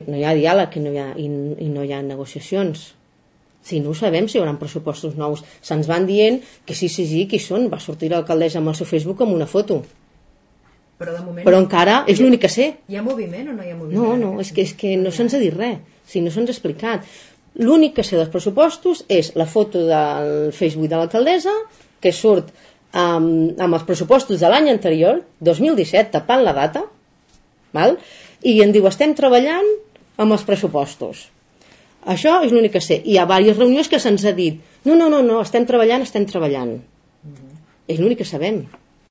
no hi ha diàleg i no hi ha negociacions. Si no ho sabem, si hi haurà pressupostos nous. Se'ns van dient que sí, que hi són. Va sortir l'alcaldessa amb el seu Facebook amb una foto. Però encara és l'únic que sé. Hi ha moviment o no hi ha moviment? No, és que no se'ns ha dit res. No se'ns ha explicat. L'únic que sé dels pressupostos és la foto del Facebook de l'alcaldessa, que surt amb els pressupostos de l'any anterior, 2017, tapant la data, val? I em diu, estem treballant amb els pressupostos. Això és l'únic que sé. Hi ha diverses reunions que se'ns ha dit, no, estem treballant. És l'únic que sabem.